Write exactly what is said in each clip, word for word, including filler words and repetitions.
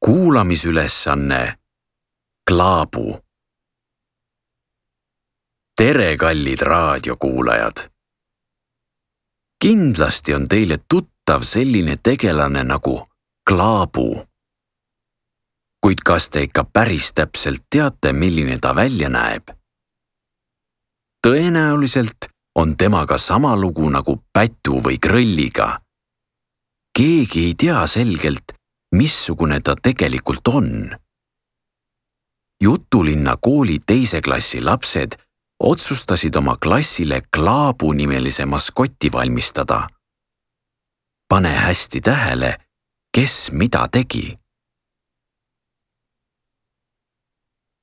kuulamisülesanne Klaabu. Tere, kallid raadiokuulajad! Kindlasti on teile tuttav selline tegelane nagu Klaabu. Kuid kas te ikka päris täpselt teate, milline ta välja näeb? Tõenäoliselt on temaga sama lugu nagu pätu või krõlliga. Keegi ei tea selgelt, missugune ta tegelikult on. Jutulinna kooli teise klassi lapsed otsustasid oma klassile Klaabu nimelise maskoti valmistada. Pane hästi tähele, kes mida tegi.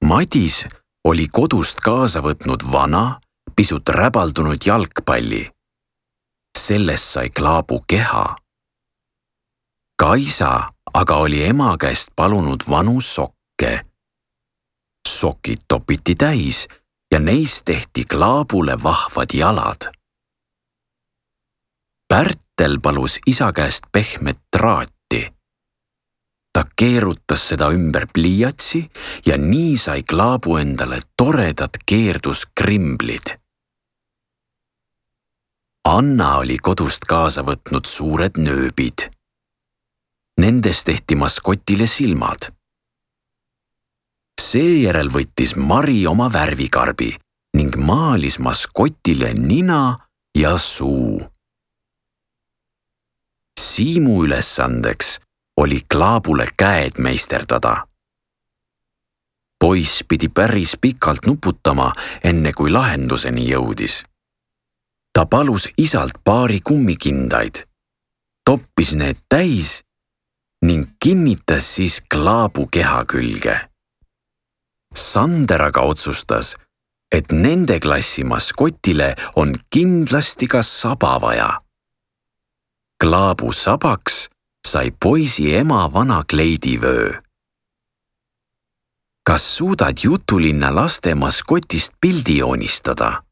Madis oli kodust kaasa võtnud vana, pisut räbaldunud jalgpalli. Sellest sai Klaabu keha. Kaisa aga oli ema käest palunud vanu sokke. Sokid topiti täis ja neist tehti Klaabule vahvad jalad. Pärtel palus isa käest pehmet traati. Ta keerutas seda ümber pliiatsi ja nii sai Klaabu endale toredad keerduskrimblid. Anna oli kodust kaasa võtnud suured nööbid. Nendes tehti maskotile silmad. Seejärel võttis Mari oma värvikarbi ning maalis maskotile nina ja suu. Siimu ülesandeks oli Klaabule käed meisterdada. Poiss pidi päris pikalt nuputama, enne kui lahenduseni jõudis. Ta palus isalt paari kummikindaid, toppis need täis ning kinnitas siis Klaabu keha külge. Sander aga otsustas, et nende klassi maskotile on kindlasti ka saba vaja. Klaabu sabaks sai poisi ema vana kleidivöö. Kas suudad Jutulinna laste maskotist pildi joonistada?